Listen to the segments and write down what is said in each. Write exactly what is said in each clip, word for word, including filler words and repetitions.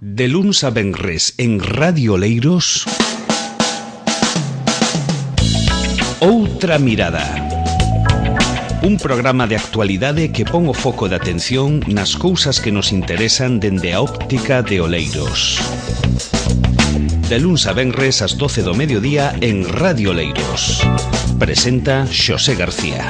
De luns a venres en Radio Oleiros, Outra Mirada. Un programa de actualidade que pon o foco de atención nas cousas que nos interesan dende a óptica de Oleiros. De luns a venres ás doce do mediodía en Radio Oleiros. Presenta Xosé García.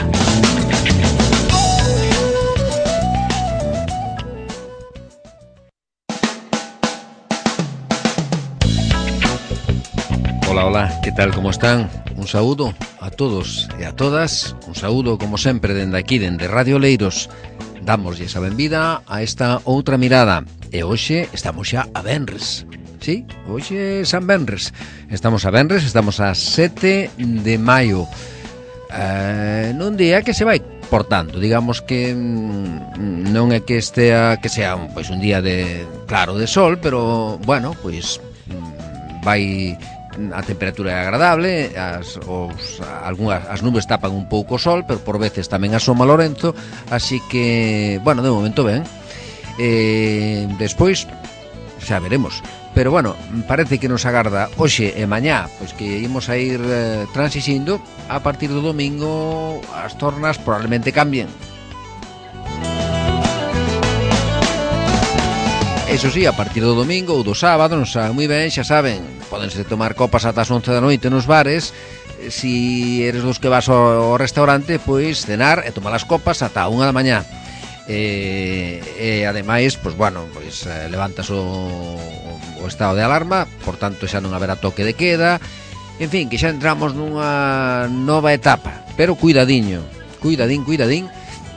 Hola, hola, que tal, como están? Un saúdo a todos e a todas. Un saúdo, como sempre, dende aquí, dende Radio Oleiros. Damoslle a benvida a esta Outra Mirada. E hoxe estamos xa a venres. Sí, hoxe é San Venres. Estamos a venres, estamos a sete de maio. eh, Nun día que se vai portando, digamos que mm, non é que estea que sea un, pois, un día de claro de sol, pero bueno, pois mm, vai a temperatura é agradable, as, os, algunhas, as nubes tapan un pouco o sol, pero por veces tamén asoma Lorenzo, así que, bueno, de momento ben. Eh, despois xa veremos, pero bueno, parece que nos agarda hoxe e mañá, pois que imos a ir eh, transixindo. A partir do domingo as tornas probablemente cambien. Eso sí, a partir do domingo ou do sábado, non saben moi ben, xa saben, pódense tomar copas ata as once da noite nos bares. Si eres dos que vas ao restaurante, pois cenar e tomar as copas ata a unha da mañá. E, e ademais, pois bueno, pois levantas o, o estado de alarma, por tanto xa non haberá toque de queda. En fin, que xa entramos nunha nova etapa, pero cuidadiño, cuidadín, cuidadín,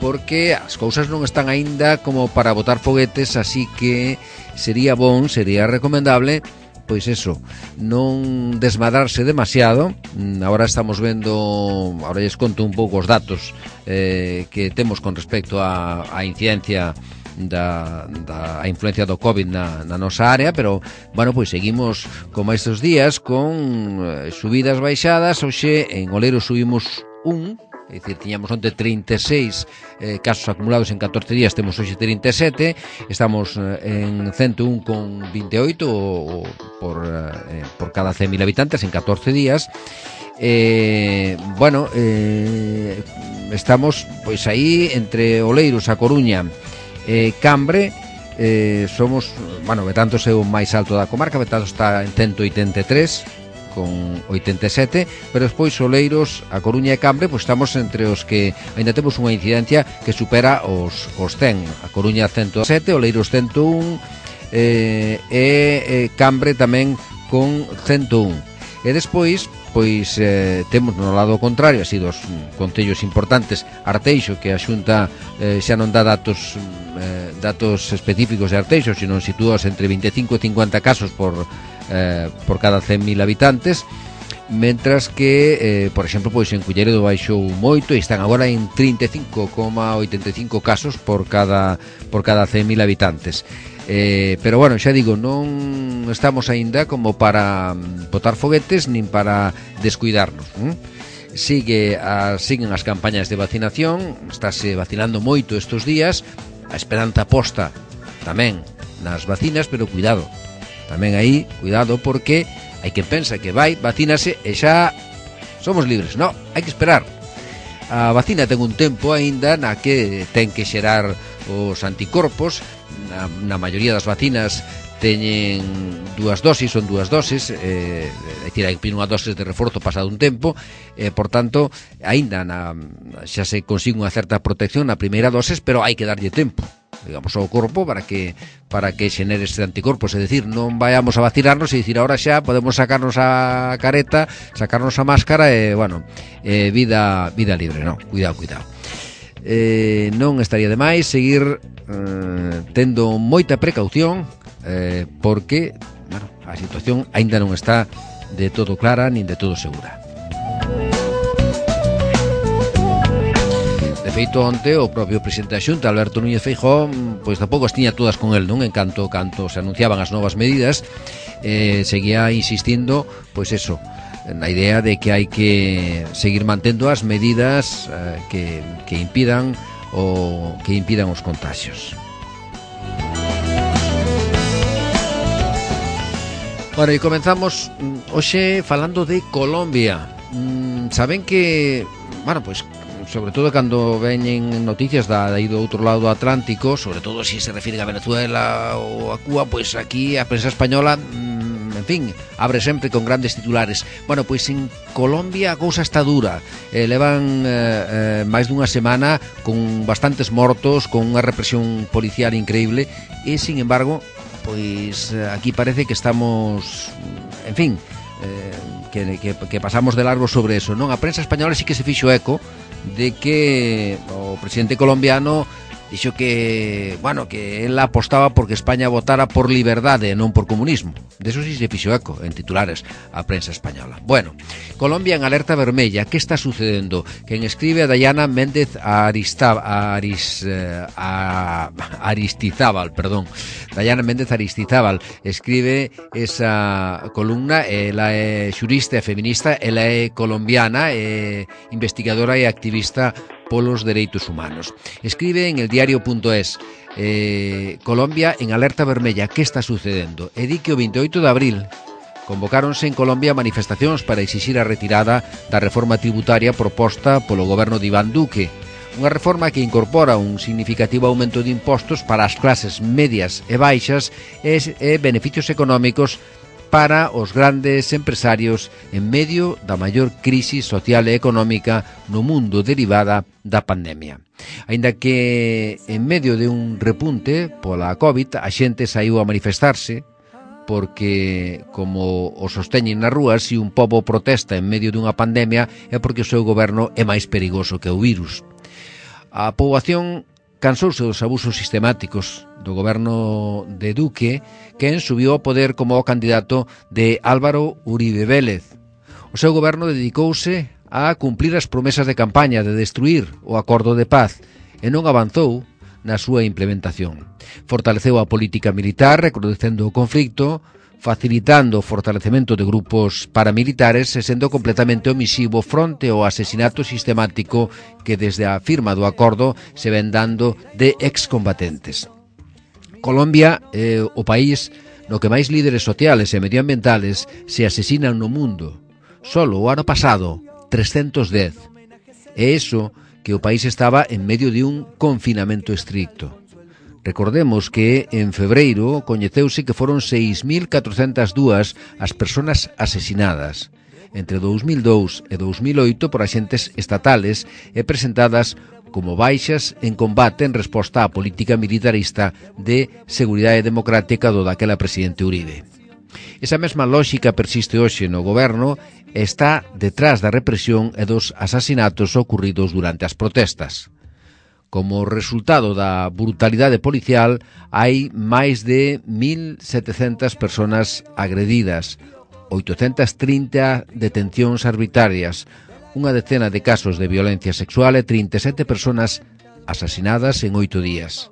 porque as cousas non están aínda como para botar foguetes, así que sería bon, sería recomendable, pois eso, non desmadrarse demasiado. Agora estamos vendo, agora lles conto un pouco os datos eh, que temos con respecto á, á incidencia da, da a influencia do COVID na, na nosa área, pero, bueno, pois seguimos como estes días con eh, subidas baixadas. Hoxe en Oleiros subimos un, é dicir, tiñamos onte trinta e seis eh, casos acumulados en catorce días, temos hoxe trinta e sete, estamos eh, en ciento un con vinte e oito o, o, por, eh, por cada cen mil habitantes en catorce días. Eh, bueno, eh, estamos pois aí entre Oleiros, A Coruña e eh, Cambre. Eh, somos, bueno, Betanzos é o máis alto da comarca, Betanzos está en ciento oitenta e tres con oitenta e sete, pero despois Oleiros, A Coruña e Cambre, pois estamos entre os que ainda temos unha incidencia que supera os, os cen. A Coruña ciento sete, Oleiros ciento un eh, e eh, Cambre tamén con ciento un. E despois, pois eh, temos no lado contrario, así dos concellos importantes, Arteixo, que a Xunta eh, xa non dá datos eh, datos específicos de Arteixo, sino sitúas entre vinte e cinco e cincuenta casos por Eh, por cada cen mil habitantes, mentras que, eh, por exemplo, pois en Culleredo baixou moito e están agora en trinta e cinco coma oitenta e cinco casos por cada por cada cen mil habitantes. Eh, pero bueno, xa digo, non estamos aínda como para botar foguetes nin para descuidarnos. ¿eh? Sigue a, siguen as campañas de vacinación, estáse vacinando moito estes días, a esperanza posta tamén nas vacinas, pero cuidado. Tamén aí, cuidado, porque hai quen pensa que vai, vacínase e xa somos libres. Non, hai que esperar. A vacina ten un tempo aínda na que ten que xerar os anticorpos. Na, na maioría das vacinas teñen dúas dosis, son dúas dosis, eh, é dicir, hai que pedir unha dosis de reforzo pasado un tempo, eh, por tanto, aínda na, xa se consigue unha certa protección na primeira dosis, pero hai que darlle tempo, digamos, ao corpo para que para que xenere este anticorpos, é dicir, non vayamos a vacinarnos e dicir, ahora xa podemos sacarnos a careta, sacarnos a máscara e, bueno, eh, vida vida libre, non, cuidado, cuidado. Eh, non estaría de máis seguir eh, tendo moita precaución, eh, porque, bueno, a situación aínda non está de todo clara nin de todo segura. De feito, onte o propio presidente da Xunta, Alberto Núñez Feijóo, pois tampouco as tiña todas con el, non? En canto, canto se anunciaban as novas medidas, eh, seguía insistindo, pois eso, na idea de que hai que seguir mantendo as medidas eh, que, que impidan o que impidan os contagios. Bueno, e comenzamos hoxe falando de Colombia. Mm, saben que, bueno, pois, pues, sobre todo cando veñen noticias da, da aí do outro lado do Atlántico, sobre todo se se refire a Venezuela ou a Cuba, pois pues aquí a prensa española, mm, en fin, abre sempre con grandes titulares. Bueno, pois pues en Colombia a cousa está dura. Eh, levan eh, eh, máis dunha semana con bastantes mortos, con unha represión policial increíble e, sin embargo, pois aquí parece que estamos, en fin, eh, que, que, que pasamos de largo sobre eso, non? A prensa española sí que se fixo eco de que o presidente colombiano dixo que, bueno, que él apostaba porque España votara por liberdade e non por comunismo. De eso sí se fixo eco en titulares a prensa española. Bueno, Colombia en alerta vermella. Que está sucedendo? Quen escribe a Dayana Méndez Arista, Aris, eh, a, Aristizábal, perdón. Dayana Méndez Aristizábal escribe esa columna. Ela é xurista e feminista, ela é colombiana, é investigadora e activista polos dereitos humanos. Escribe en el diario punto es eh, Colombia en alerta vermella. Que está sucedendo? E di que o veintioito de abril convocáronse en Colombia manifestacións para exixir a retirada da reforma tributaria proposta polo goberno de Iván Duque. Unha reforma que incorpora un significativo aumento de impostos para as clases medias e baixas e, e beneficios económicos para os grandes empresarios en medio da maior crise social e económica no mundo derivada da pandemia. Aínda que en medio de un repunte pola COVID a xente saiu a manifestarse porque, como o sosteñen nas rúas, se un pobo protesta en medio dunha pandemia é porque o seu goberno é máis perigoso que o virus. A poboación cansouse dos abusos sistemáticos do goberno de Duque, quen subiu ao poder como o candidato de Álvaro Uribe Vélez. O seu goberno dedicouse a cumplir as promesas de campaña de destruir o acordo de paz e non avanzou na súa implementación. Fortaleceu a política militar, recrudecendo o conflicto, facilitando o fortalecemento de grupos paramilitares e sendo completamente omisivo fronte ao asesinato sistemático que desde a firma do acordo se ven dando de excombatentes. Colombia é o país no que máis líderes sociales e medioambientales se asesinan no mundo. Solo o ano pasado, trescentos dez. E iso que o país estaba en medio de un confinamento estricto. Recordemos que en febreiro coñeceuse que foron seis mil catrocentas dúas as persoas asesinadas entre dous mil dous e dous mil oito por axentes estatales e presentadas como baixas en combate en resposta á política militarista de seguridade democrática do daquela presidente Uribe. Esa mesma lógica persiste hoxe no goberno e está detrás da represión e dos asasinatos ocorridos durante as protestas. Como resultado da brutalidade policial, hai máis de mil setecentas persoas agredidas, oitocentas trinta detencións arbitrarias, unha decena de casos de violencia sexual e trinta e sete persoas asasinadas en oito días.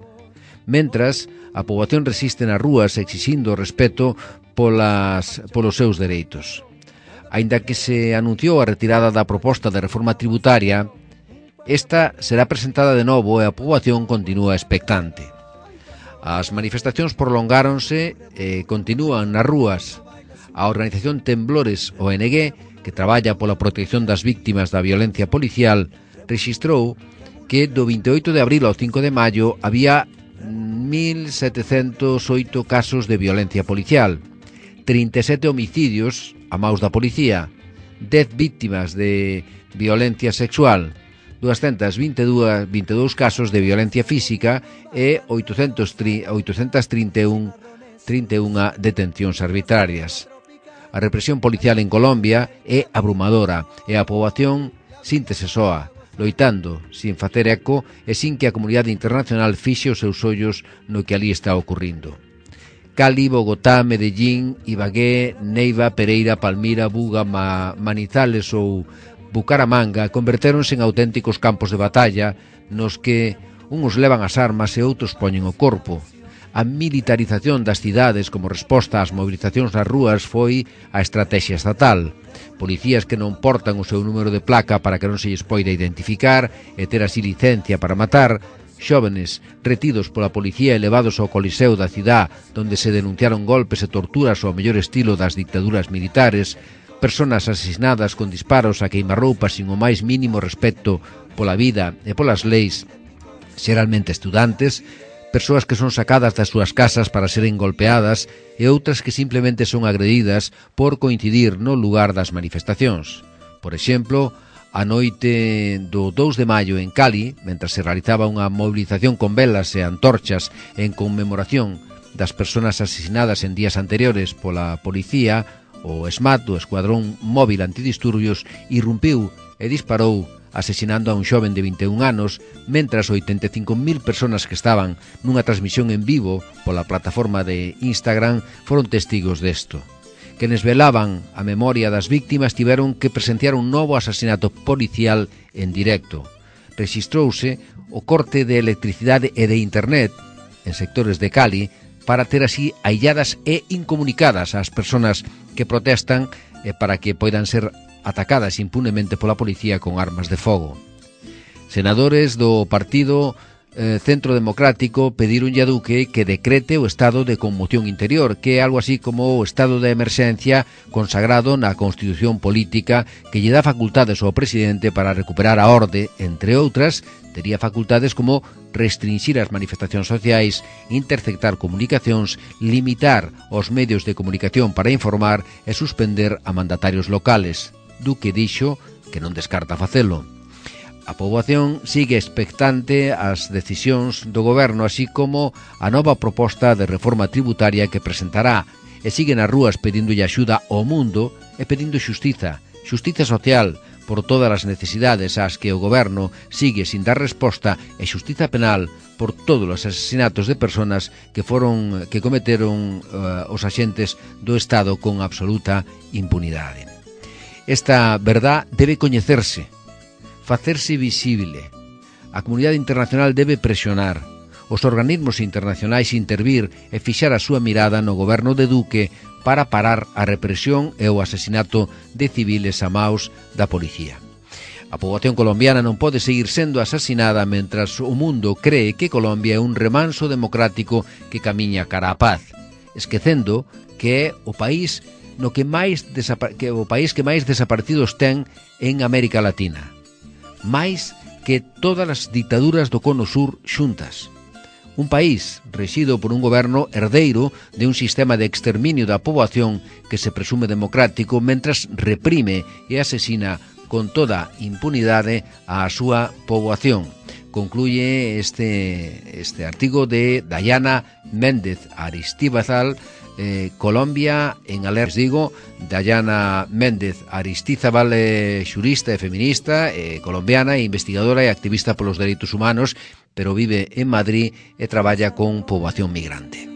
Mentras, a poboación resiste nas rúas exixindo respeto polas, polos seus dereitos. Aínda que se anunciou a retirada da proposta de reforma tributaria, esta será presentada de novo e a poboación continúa expectante. As manifestacións prolongáronse e continúan nas rúas. A organización Temblores O N G, que traballa pola protección das víctimas da violencia policial, rexistrou que do veintioito de abril ao cinco de maio había mil setecentos oito casos de violencia policial, trinta e sete homicidios a maus da policía, dez víctimas de violencia sexual, doscientos veintidós casos de violencia física e oitocentas trinta e unha detencións arbitrarias. A represión policial en Colombia é abrumadora e a poboación síntese soa, loitando, sin facer eco e sin que a comunidade internacional fixe os seus ollos no que ali está ocurrindo. Cali, Bogotá, Medellín, Ibagué, Neiva, Pereira, Palmira, Buga, Ma, Manizales ou Bucaramanga convertéronse en auténticos campos de batalla nos que uns levan as armas e outros poñen o corpo. A militarización das cidades como resposta ás movilizacións nas rúas foi a estrategia estatal. Policías que non portan o seu número de placa para que non se lles poida identificar e ter así licencia para matar xóvenes retidos pola policía e levados ao coliseo da cidade donde se denunciaron golpes e torturas ao mellor estilo das dictaduras militares, persoas asesinadas con disparos a queimarroupas sin o máis mínimo respecto pola vida e polas leis, xeralmente estudantes, persoas que son sacadas das súas casas para seren golpeadas e outras que simplemente son agredidas por coincidir no lugar das manifestacións. Por exemplo, a noite do dous de maio en Cali, mentre se realizaba unha movilización con velas e antorchas en conmemoración das persoas asesinadas en días anteriores pola policía, o SMAT, o Escuadrón Móvil Antidisturbios, irrumpiu e disparou asesinando a un xoven de vinte e un anos, mentras oitenta e cinco mil persoas que estaban nunha transmisión en vivo pola plataforma de Instagram foron testigos desto. Quenes velaban a memoria das víctimas tiveron que presenciar un novo asasinato policial en directo. Rexistrouse o corte de electricidade e de internet en sectores de Cali para ter así ailladas e incomunicadas ás persoas que protestan e para que poidan ser atacadas impunemente pola policía con armas de fogo. Senadores do partido Eh, Centro Democrático pedironlle a Duque que decrete o estado de conmoción interior, que é algo así como o estado de emerxencia consagrado na Constitución Política que lle dá facultades ao presidente para recuperar a orde, entre outras, tería facultades como restringir as manifestacións sociais, interceptar comunicacións, limitar os medios de comunicación para informar e suspender a mandatarios locales. Duque dixo que non descarta facelo. A poboación sigue expectante ás decisións do goberno, así como a nova proposta de reforma tributaria que presentará, e sigue nas rúas pedindolle axuda ao mundo e pedindo xustiza, xustiza social por todas as necesidades ás que o goberno sigue sin dar resposta e xustiza penal por todos os asesinatos de persoas que foron que cometeron uh, os axentes do Estado con absoluta impunidade. Esta verdad debe coñecerse, facerse visible. A comunidade internacional debe presionar, os organismos internacionais intervir e fixar a súa mirada no goberno de Duque para parar a represión e o asesinato de civiles a maus da policía. A poboación colombiana non pode seguir sendo asesinada mentras o mundo cree que Colombia é un remanso democrático que camiña cara á paz, esquecendo que é o país no que máis desapa- que o país que máis desaparecidos ten en América Latina, máis que todas as dictaduras do Cono Sur xuntas. Un país rexido por un goberno herdeiro de un sistema de exterminio da poboación que se presume democrático mentras reprime e asesina con toda impunidade a súa poboación. Concluye este, este artigo de Dayana Méndez Aristíbal, Eh, Colombia en alerta. Digo, Dayana Méndez Aristíbal, eh, xurista e feminista, eh, colombiana, investigadora e activista polos dereitos humanos, pero vive en Madrid e traballa con poboación migrante.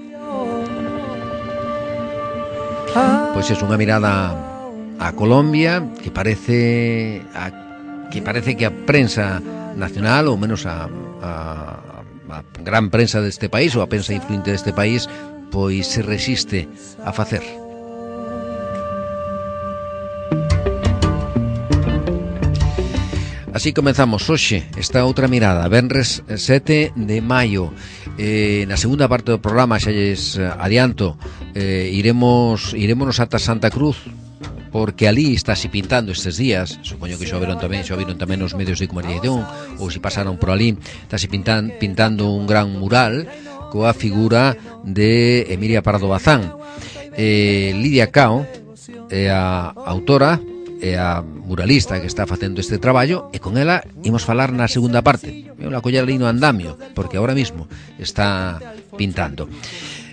Pois é unha mirada a Colombia que parece a, que parece que a prensa nacional, ou menos a, a, a gran prensa deste país, ou a prensa influente deste país, pois se resiste a facer. Así comenzamos hoxe esta outra mirada, venres sete de maio. Eh, na segunda parte do programa, xa lles adianto, eh, iremos iremos ata Santa Cruz, porque ali está se pintando estes días. Supoño que xa viron tamén, xa viron tamén os medios de comunicación, ou se pasaron por ali, está se pintan, pintando un gran mural coa figura de Emilia Pardo Bazán. Eh, Lidia Cao é a autora e a muralista que está facendo este traballo, e con ela imos falar na segunda parte. Eu la coller ali no andamio, porque ahora mismo está pintando.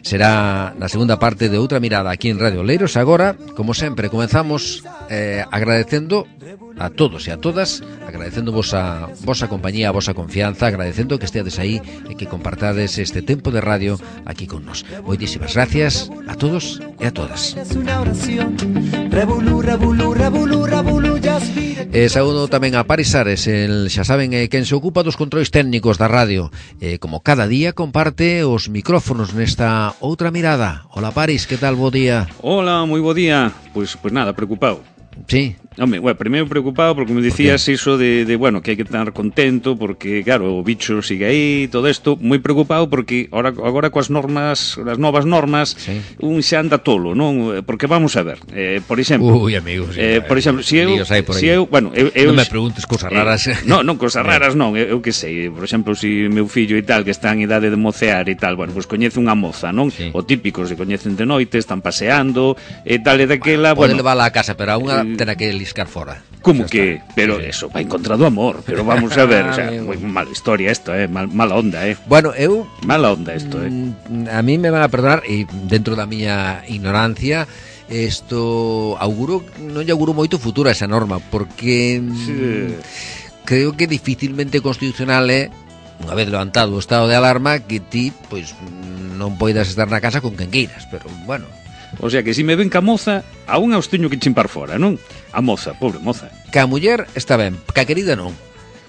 Será na segunda parte de outra mirada aquí en Radio Oleiros. Agora, como sempre, comenzamos eh, agradecendo a todos e a todas, agradecendo vos a vosa compañía, a vosa confianza, agradecendo que esteades aí e que compartades este tempo de radio aquí con nos. Moitísimas gracias a todos e a todas. E saúdo tamén a Paris Ares, el, xa saben, eh, quen se ocupa dos controis técnicos da radio, eh, como cada día comparte os micrófonos nesta outra mirada. Hola Paris, que tal, bo día? Hola, moi bo día. Pois, pois nada, preocupado. Sí, Home, bueno, primeiro preocupado porque me dicías iso de, de, bueno, que hai que estar contento porque, claro, o bicho sigue aí, todo isto, moi preocupado porque ahora, agora coas normas, as novas normas, sí. un xa anda tolo, non? Porque vamos a ver, eh, por exemplo... Ui, amigos, sí, eh, por exemplo, si eu... Si eu, bueno, eu, eu, non me preguntes cousas raras. Eh, non, non, cousas raras non, eu, eu que sei, por exemplo, si meu fillo e tal, que está en idade de mocear e tal, bueno, pois pues coñece unha moza, non? Sí. O típico, se coñecen de noite, están paseando, e tal e daquela, bueno... Pode bueno, levála a casa, pero a unha eh, tena que liscar fora. Como que? Pero sí, eso, va encontrado amor, pero vamos a ver, o sea, moi mala historia esto, eh, mal, mala onda, eh. Bueno, eu... Mala onda isto, eh. A mí me van a perdonar, e dentro da miña ignorancia, isto auguro, non lle auguro moito futuro a esa norma, porque sí. creo que dificilmente constitucional é, unha vez levantado o estado de alarma, que ti, pois, non poidas estar na casa con quen queiras, pero, bueno... O sea que se si me ven ca moza, a unha os teño que chimpar fora, non? A moza, pobre moza. Ca muller está ben, ca querida non.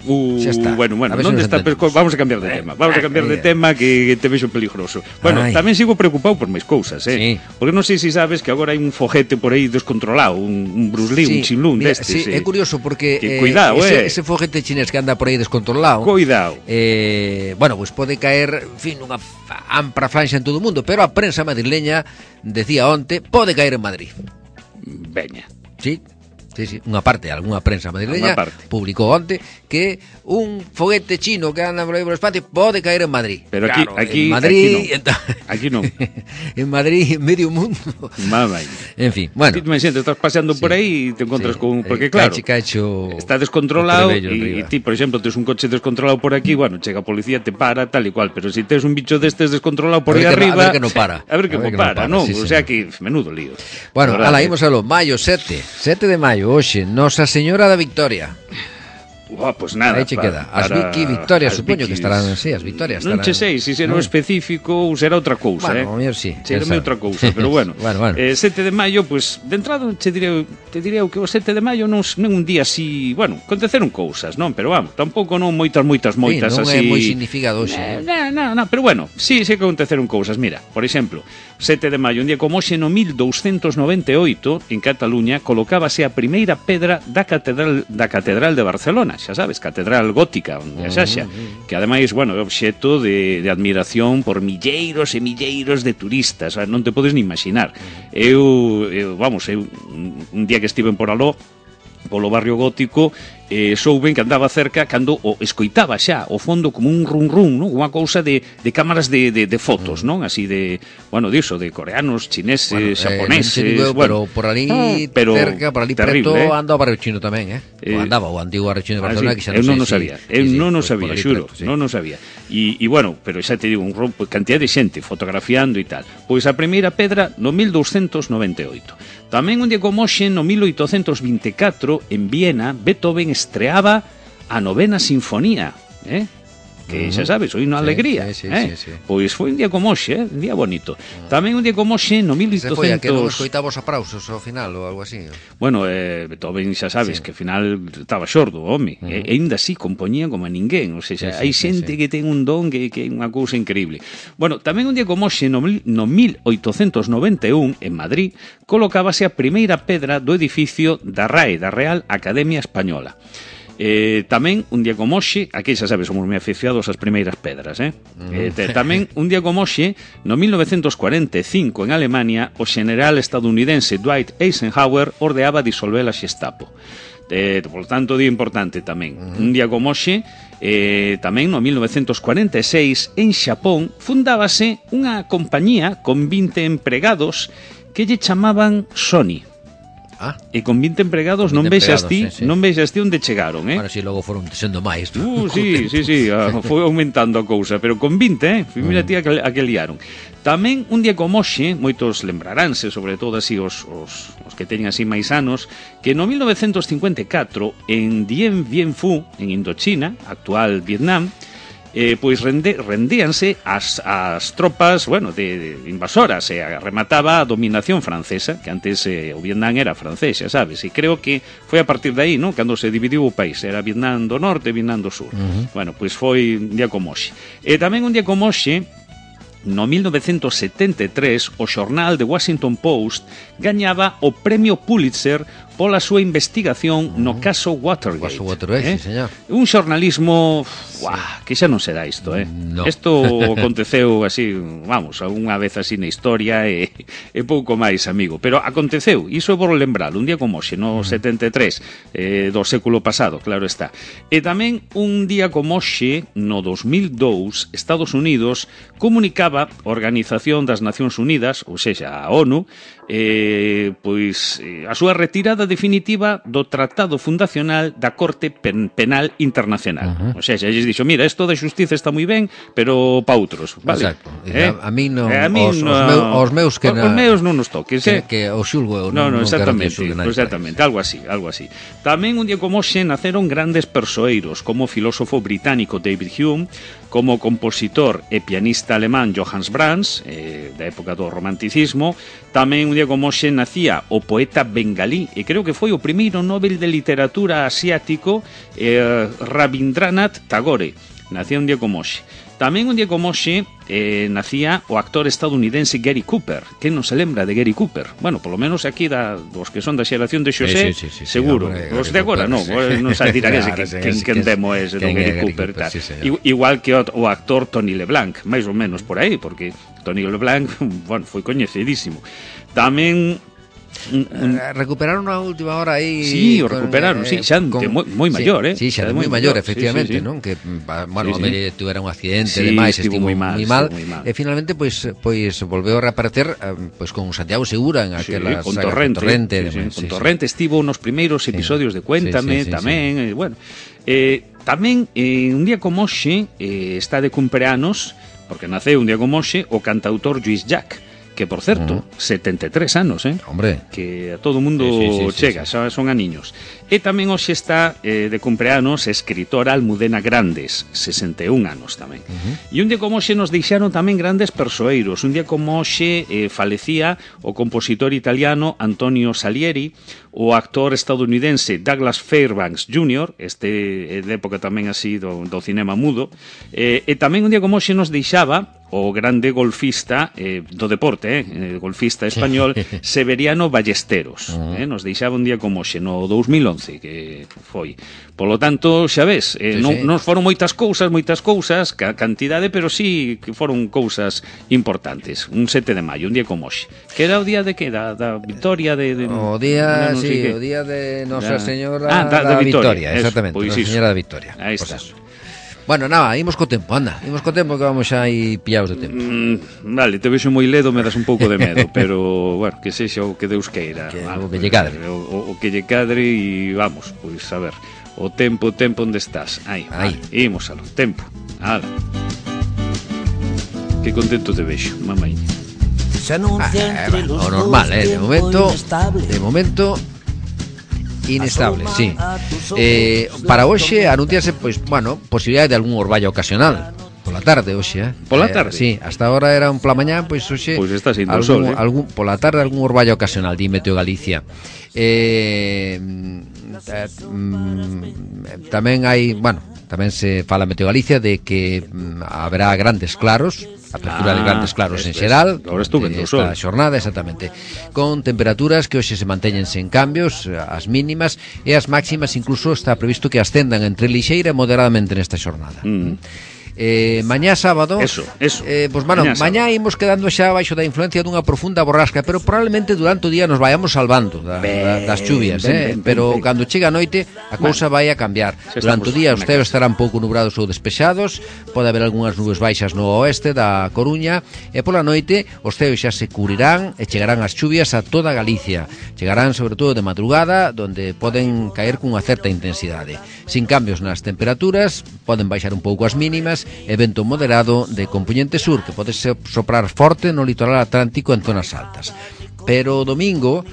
Uh, bueno, bueno, non está pesco... Vamos a cambiar de tema. Vamos a cambiar de tema que te vexo peligroso. Bueno, Ay. tamén sigo preocupado por máis cousas, eh. Sí. Porque non sei se si sabes que agora hai un foguete por aí descontrolado, un, un Bruce Lee, sí. un Chinlun destes. Sí, sí, é curioso porque que, eh, cuidado, ese, eh. ese foguete chinés que anda por aí descontrolado. Cuidado. Eh, bueno, pues pode caer, en fin, unha ampra franxa en todo o mundo, pero a prensa madrileña decía onte, pode caer en Madrid. Veña. Sí. Sí, sí, unha parte, algunha prensa madrileña publicou onte que un foguete chino que anda por aí por o espacio pode caer en Madrid. Pero aquí, claro, aquí, en Madrid, aquí non. Aquí non. En Madrid, en medio mundo. Mamá. En fin, bueno. Ti me sientes, estás paseando sí, por aí e te encontras sí, con... Porque claro, cache, cacho, está descontrolado e ti, por exemplo, tes un coche descontrolado por aquí, bueno, chega a policía, te para, tal e cual, pero se si tes un bicho destes descontrolado por aí arriba... A ver que non para. A ver que non para, non? O sea que, menudo lío. Bueno, ala, imos a lo, maio sete, sete de maio, hoxe, Nosa Señora da Victoria. Oh, pues nada. Aí che queda. As Vicky Victorias, supoño que estarán, sí, as Victorias estarán. Non che sei se será no. específico ou será outra cousa, bueno, eh. Bueno, sí. Será outra cousa, pero bueno. bueno, bueno. Eh, sete de maio, pues, de entrada che direi, te direi que o sete de maio non é un día así, bueno, aconteceron cousas, non, pero vamos, tampouco non moitas moitas moitas sí, non así. Non é moi significado hoxe. Non, non, non, pero bueno, sí, sí que aconteceron cousas. Mira, por exemplo, sete de maio, un día como hoxe no mil douscentos noventa e oito, en Cataluña, colocábase a primeira pedra da catedral da catedral de Barcelona, xa sabes, catedral gótica, onde a Xaxa, que ademais, bueno, é obxeto de, de admiración por milleiros e milleiros de turistas, non te podes ni imaginar. Eu, eu vamos, eu un día que estiven por aló, polo barrio gótico, eh, souben que andaba cerca cando o escoitaba xa o fondo como un run run, non? Unha cousa de, de cámaras de, de, de fotos, non? Así de, bueno, diso, de coreanos, chineses, bueno, xaponeses, eh, digo, bueno, pero por ali ah, pero cerca, por ali preto, eh? Anda o barrio chino tamén, eh? eh o andaba o antigo barrio chino de Barcelona, ah, sí, que xa non eu non o si, sabía, sí, eu sí, non o pues, sabía, xuro, sí. non o sabía. E, e bueno, pero xa te digo, un rompo, cantidad de xente fotografiando e tal. Pois a primeira pedra no mil douscentos noventa e oito. Tamén un día como hoxe, no mil oitocentos vinte e catro, en Viena, Beethoven estreaba a novena sinfonía, eh? Que xa sabes, hoy unha sí, alegría, sí, sí, eh? sí, sí. Pois foi un día como hoxe, eh? Un día bonito. Uh-huh. Tamén un día como hoxe, no mil oitocentos... Se foi a que non escoitaba os aplausos ao final ou algo así. Bueno, eh, Beethoven xa sabes sí. que ao final estaba xordo, home. Uh-huh. E ainda así compoñía como a ninguén. O sea, sí, hai sí, xente sí, sí. que ten un don que, que é unha cousa increíble. Bueno, tamén un día como hoxe, no, no mil oitocentos noventa e un, en Madrid, colocábase a primeira pedra do edificio da R A E, da Real Academia Española. Eh, tamén, un día como hoxe, aquí xa sabes, somos moi aficionados ás primeiras pedras, eh? Mm. eh te, tamén, un día como hoxe, no mil novecientos cuarenta e cinco, en Alemania, o general estadounidense Dwight Eisenhower ordeaba disolver a Gestapo. Eh, por tanto, día importante tamén. Mm. Un día como hoxe, eh, tamén no mil novecientos cuarenta e seis, en Xapón, fundábase unha compañía con vinte empregados que lle chamaban Sony. Ah. E con vinte empregados con vinte non vexas ti, sí, sí. non vexas ti onde chegaron, eh? Bueno, si logo foron sendo máis. Uh, sí, sí, sí, uh, foi aumentando a cousa, pero con vinte, eh? Mira ti a que, a que liaron. Tamén un día como hoxe, moitos lembraránse, sobre todo así os, os, os que teñen así máis anos, que no mil novecientos cincuenta e catro, en Dien Bien Phu, en Indochina, actual Vietnam, Eh, pois rende, rendíanse as, as tropas, bueno, de, de invasoras, e eh, remataba a dominación francesa, que antes eh, o Vietnam era francés, xa sabes, e creo que foi a partir de aí, non? Cando se dividiu o país, era Vietnam do Norte e Vietnam do Sur. Uh-huh. Bueno, pois foi un día como hoxe. E tamén un día como hoxe, no mil novecientos setenta e tres, o xornal The Washington Post gañaba o premio Pulitzer pola súa investigación no caso Watergate. Caso Watergate, eh? sí, señor. Un xornalismo, uah, que xa non se dá isto, eh? No. Isto aconteceu así, vamos, unha vez así na historia e, e pouco máis, amigo. Pero aconteceu, iso é por lembrar, un día como hoxe, no setenta e tres eh, do século pasado, claro está. E tamén un día como hoxe, no dos mil dous, Estados Unidos comunicaba a Organización das Nacións Unidas, ou sexa, a ONU, eh, pois eh, a súa retirada definitiva do Tratado Fundacional da Corte Pen Penal Internacional. Uh-huh. O sea, xa lles dixo, mira, isto da xustiza está moi ben, pero pa outros, vale? Exacto. Eh? A, a mí non, eh, a mí os, no, os, meu, os meus que os, na, os meus non nos toques, que, eh? que o xulgo eu no, non, no, non exactamente, quero que exactamente, algo así, algo así. Tamén un día como hoxe naceron grandes persoeiros, como o filósofo británico David Hume, como o compositor e pianista alemán Johannes Brahms, eh, da época do romanticismo. Tamén un día como hoxe nacía o poeta bengalí, e creo que foi o primeiro Nobel de Literatura asiático, eh, Rabindranath Tagore. Nacía un día como hoxe. Tamén un día como hoxe eh, nacía o actor estadounidense Gary Cooper. Que non se lembra de Gary Cooper? Bueno, polo menos aquí da, dos que son da xeración de Xosé, sí, sí, sí, seguro. Sí, os de agora non, sí. non sabe dirá claro, que, que, que, que demo ese do Gary Cooper. Cooper sí, igual que o, o actor Tony LeBlanc, máis ou menos por aí, porque Tony LeBlanc, bueno, foi coñecidísimo. Tamén Un, un... recuperaron a última hora aí. Sí, o recuperaron, eh, sí, xa de moi, moi maior, sí, eh. Sí, xa de moi maior, efectivamente, sí, sí, sí. non? Que, bueno, sí, sí. Tuvera un accidente, sí, demais, estivo moi mal, mal, mal. E finalmente, pois, pois volveu a reaparecer pois con Santiago Segura en aquela sí, con Torrente, con Torrente, sí, sí, con Torrente sí, estivo nos primeiros episodios sí, de Cuéntame, sí, sí, sí, tamén, sí. Eh, bueno. Eh, tamén, eh, un día como hoxe, eh, está de cumpleanos, porque naceu un día como hoxe, o cantautor Lluís Llach, que, por certo, uh-huh. setenta e tres anos, eh? Hombre. Que a todo mundo sí, sí, sí, chega, sí, sí. Son aniños. E tamén hoxe está eh, de cumpleanos escritora Almudena Grandes, sesenta e un anos tamén. Uh-huh. E un día como hoxe nos deixaron tamén grandes persoeiros. Un día como hoxe eh, falecía o compositor italiano Antonio Salieri, o actor estadounidense Douglas Fairbanks júnior, este é de época tamén así do, do cinema mudo, eh, e tamén un día como hoxe nos deixaba o grande golfista eh, do deporte, eh, golfista español Severiano Ballesteros, uh-huh. eh, nos deixaba un día como hoxe, no dos mil once que foi. Polo tanto, xa ves, eh, sí, non, sí. non foron moitas cousas, moitas cousas, ca cantidade, pero sí que foron cousas importantes. Un sete de maio, un día como hoxe. Que era o día de que? Da, da Victoria de... de o día, no sí, o día de Nosa da... Señora ah, da, da, da Victoria, Victoria, exactamente, pues Nosa Señora da Victoria. Aí pues está. Eso. Bueno, nada, imos co tempo, anda, imos co tempo que vamos xa aí pillados de tempo. Mm, vale, te vexo moi ledo, me das un pouco de medo, pero, bueno, que sexa o que Deus queira. Que, vale, o que lle cadre. O, o que lle cadre e vamos, pois, a ver, o tempo, o tempo onde estás. Aí, aí. Vale, imos alo, tempo, ala. Que contento te vexo, mamai. Ah, bueno, o normal, eh, de momento, de momento... Inestable, sí. Eh, para hoxe anunciase, pois, bueno, posibilidade de algún orballo ocasional pola tarde hoxe, eh. Pola tarde? Eh, sí, hasta agora era un pola mañá, pois hoxe pois está sendo algún, sol, eh. algún pola tarde algún orballo ocasional, di Meteo Galicia. Eh, eh, mm, tamén hai, bueno, tamén se fala Meteo Galicia de que mm, haberá grandes claros, apertura ah, de grandes claros en xeral esta xornada, exactamente, con temperaturas que hoxe se manteñen sen cambios, as mínimas e as máximas incluso está previsto que ascendan entre lixeira e moderadamente nesta xornada. Mm. Eh, mañá sábado eso, eso. Eh, pues, bueno, mañá, mañá imos quedando xa baixo da influencia dunha profunda borrasca, pero probablemente durante o día nos vayamos salvando da, ben, da, das chuvias, ben, eh? ben, pero ben, cando chega a noite a cousa vai a cambiar. Durante o día os ceos estarán pouco nubrados ou despexados, pode haber algunhas nubes baixas no oeste da Coruña, e pola noite os ceos xa se cubrirán e chegarán as chuvias a toda Galicia. Chegarán sobre todo de madrugada, donde poden caer cunha certa intensidade. Sin cambios nas temperaturas, poden baixar un pouco as mínimas, e vento moderado de compoñente sur que pode soprar forte no litoral atlántico en zonas altas. Pero o domingo,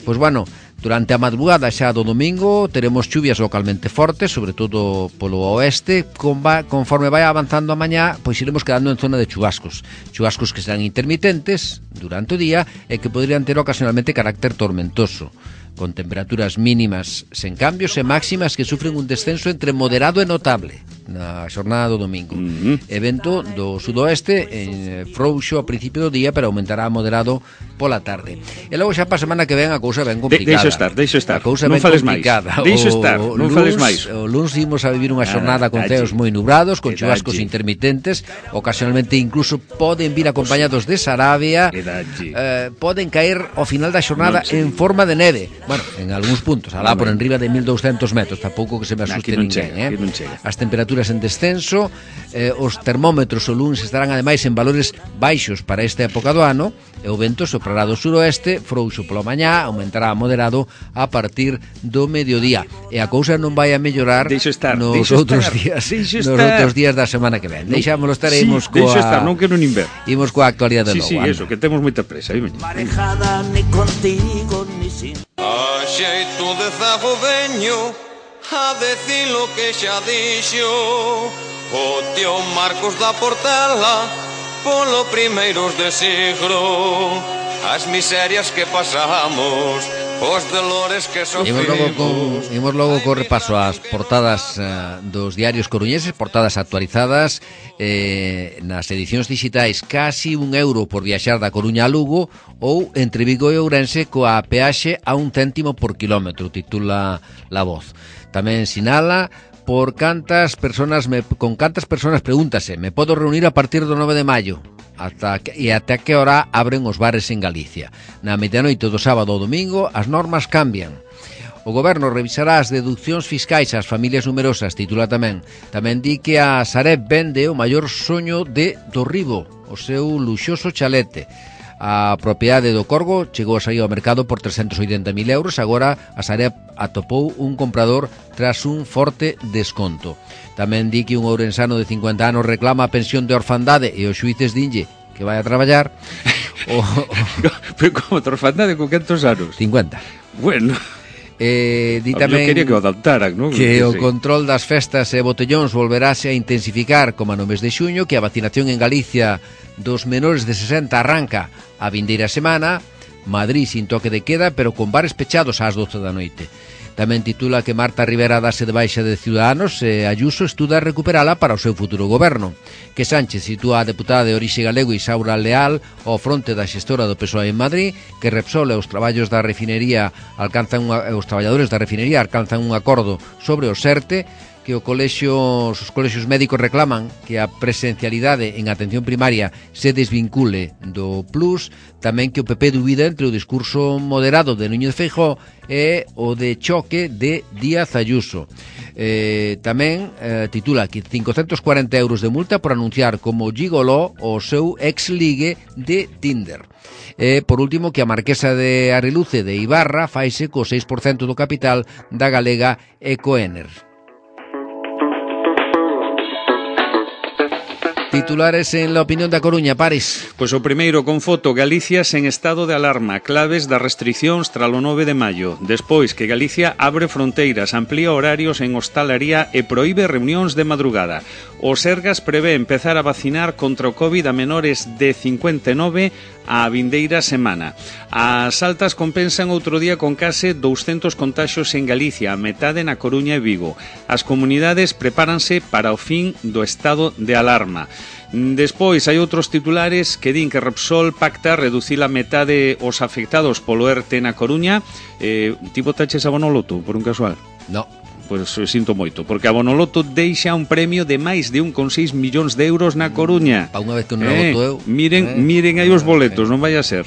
pois bueno, durante a madrugada xa do domingo teremos chuvias localmente fortes, sobre todo polo oeste, conforme vai avanzando a mañá, pois iremos quedando en zona de chubascos. Chubascos que serán intermitentes durante o día e que podrían ter ocasionalmente carácter tormentoso, con temperaturas mínimas sen cambios e máximas que sufren un descenso entre moderado e notable. na xornada do domingo. Uh-huh. Evento do sudoeste en frouxo a principio do día, pero aumentará moderado pola tarde. E logo xa pa semana que ven a cousa ben complicada. De, deixo estar, deixo estar. A cousa non ben fales complicada. máis. Deixo estar, o non luns, fales máis. O luns imos a vivir unha xornada ah, con allí. ceos moi nubrados, con Edalle. chubascos intermitentes, ocasionalmente incluso poden vir acompañados de sarabia, eh, poden caer ao final da xornada no, sí. en forma de neve. Bueno, en algúns puntos, alá por enriba de mil douscentos metros, tampouco que se me asuste no, ninguén, chega, eh? As temperaturas en descenso, eh, os termómetros o luns estarán ademais en valores baixos para esta época do ano, e o vento soprará do suroeste, frouxo pola mañá, aumentará a moderado a partir do mediodía. E a cousa non vai a mellorar estar, nos outros estar, días, nos estar. outros días da semana que ven. Deixámoslo estar, sí, imos coa estar, non quero nin ver. Imos coa actualidade sí, logo. Sí, anda. eso, que temos moita presa, aí veño. Marejada ni contigo ni sin. A xeito de zago veño a decir lo que xa dixo o tío Marcos da Portela polo primeiros de siglo, as miserias que pasamos, os dolores que sofrimos. Imos logo con, imos logo co repaso ás portadas uh, dos diarios coruñeses, portadas actualizadas eh, nas edicións digitais. Casi un euro por viaxar da Coruña a Lugo, ou entre Vigo e Ourense coa peaxe a un céntimo por kilómetro, titula La Voz. Tamén sinala por cantas personas me, con cantas personas pregúntase, me podo reunir a partir do nove de maio ata que, e ata que hora abren os bares en Galicia. Na medianoite do sábado ao domingo as normas cambian. O goberno revisará as deduccións fiscais ás familias numerosas, titula tamén. Tamén di que a Sareb vende o maior soño de Torribo, o seu luxoso chalete. A propiedade do Corgo chegou a sair ao mercado por trescentos oitenta mil euros. Agora a Sareb atopou un comprador tras un forte desconto. Tamén di que un ourensano de cincuenta anos reclama a pensión de orfandade e os xuíces dinlle que vai a traballar. o, o... Pero como de orfandade con cantos anos? cincuenta. Bueno... Eh, di tamén eu quería que o adaptaran, non? Que o sí. control das festas e botellóns volverase a intensificar como no mes de xuño, que a vacinación en Galicia dos menores de sesenta arranca a vindeira semana. Madrid sin toque de queda, pero con bares pechados ás doce da noite. Tamén titula que Marta Rivera dase de baixa de Ciudadanos e Ayuso estuda recuperala para o seu futuro goberno. Que Sánchez sitúa a deputada de orixe galego Isaura Leal ao fronte da xestora do P S O E en Madrid, que Repsol e os traballos da refinería alcanzan unha, os traballadores da refinería alcanzan un acordo sobre o SERTE, que o colexio, os colexios médicos reclaman que a presencialidade en atención primaria se desvincule do plus, tamén que o P P dubida entre o discurso moderado de Núñez Feijóo e o de choque de Díaz Ayuso. Eh, tamén eh, titula que cincocentos cuarenta euros de multa por anunciar como gigoló o seu ex-ligue de Tinder. E, por último, que a marquesa de Areluce de Ibarra faise co seis por cento do capital da galega Ecoener. Titulares en La Opinión da Coruña, Paris. Pois o primeiro con foto, Galicia sen estado de alarma, claves das restriccións tras o nove de maio. Despois que Galicia abre fronteiras, amplía horarios en hostalaría e proíbe reunións de madrugada. O Sergas prevé empezar a vacinar contra o COVID a menores de cincuenta e nove a vindeira semana. As altas compensan outro día con case douscentos contaxios en Galicia, a metade na Coruña e Vigo. As comunidades prepáranse para o fin do estado de alarma. Despois hai outros titulares que din que Repsol pacta reducir a metade os afectados polo ERTE na Coruña. Eh, ti botaches a Bonoloto, por un casual? No. Pois sinto moito, porque a Bonoloto deixa un premio de máis de un coma seis millóns de euros na Coruña. Pa unha vez que non eh, voto eu. Miren, eh, miren aí os boletos, non vai a ser.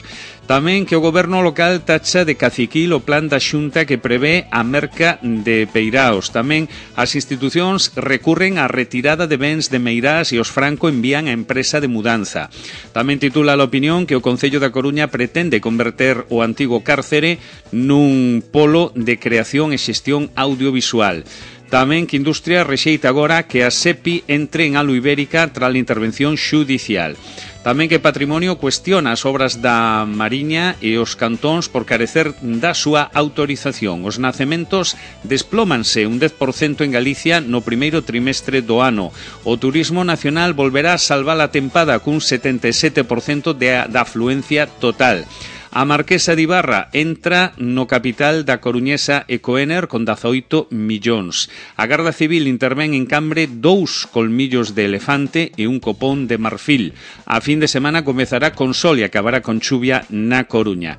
Tamén que o goberno local tacha de caciquil o plan da Xunta que prevé a merca de Peiraos. Tamén as institucións recurren á retirada de bens de Meirás e os Franco envían a empresa de mudanza. Tamén titula a Opinión que o Concello da Coruña pretende converter o antigo cárcere nun polo de creación e xestión audiovisual. Tamén que Industria rexeita agora que a SEPI entre en Alu Ibérica tras a intervención xudicial. Tamén que Patrimonio cuestiona as obras da Mariña e os cantóns por carecer da súa autorización. Os nacementos desplómanse un dez por cento en Galicia no primeiro trimestre do ano. O turismo nacional volverá a salvar a tempada cun setenta e sete por cento de, da afluencia total. A Marquesa de Ibarra entra no capital da coruñesa Ecoener con dezaoito millóns. A Garda Civil intervén en Cambre dous colmillos de elefante e un copón de marfil. A fin de semana comezará con sol e acabará con chuvia na Coruña.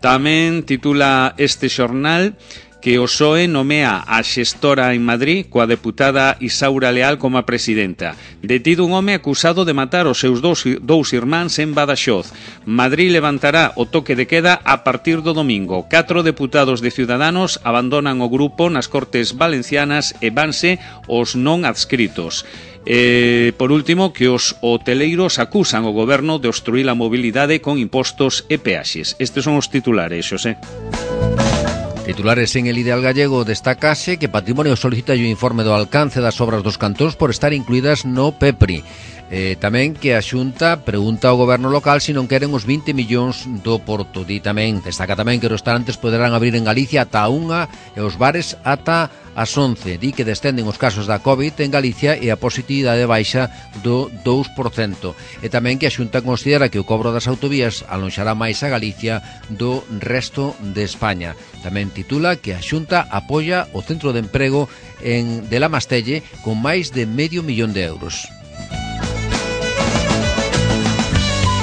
Tamén titula este xornal que o P S O E nomea a xestora en Madrid coa deputada Isaura Leal como a presidenta. Detido un home acusado de matar os seus dous, dous irmáns en Badaxoz. Madrid levantará o toque de queda a partir do domingo. Catro deputados de Ciudadanos abandonan o grupo nas Cortes Valencianas e vanse os non adscritos. E, por último, que os hoteleiros acusan o goberno de obstruir a mobilidade con impostos e peaxes. Estes son os titulares, Xosé. Titulares en el Ideal Gallego destacase que Patrimonio solicita o informe do alcance das obras dos cantóns por estar incluídas no PEPRI. Eh, tamén que a Xunta pregunta ao goberno local se non queren os vinte millóns do Porto. Di tamén, destaca tamén que os restaurantes poderán abrir en Galicia ata a unha e os bares ata as once. Di que descenden os casos da COVID en Galicia e a positividade baixa do dous por cento. E tamén que a Xunta considera que o cobro das autovías alonxará máis a Galicia do resto de España. Tamén titula que a Xunta apoia o Centro de Emprego en de La Mastelle con máis de medio millón de euros.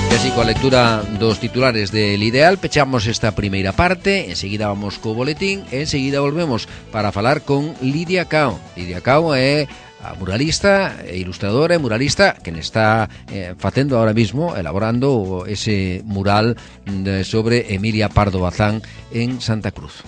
E así, coa lectura dos titulares del Ideal, pechamos esta primeira parte. Enseguida vamos co boletín e enseguida volvemos para falar con Lidia Cao. Lidia Cao é a muralista e ilustradora e muralista que está eh, facendo ahora mismo, elaborando ese mural de, sobre Emilia Pardo Bazán en Santa Cruz.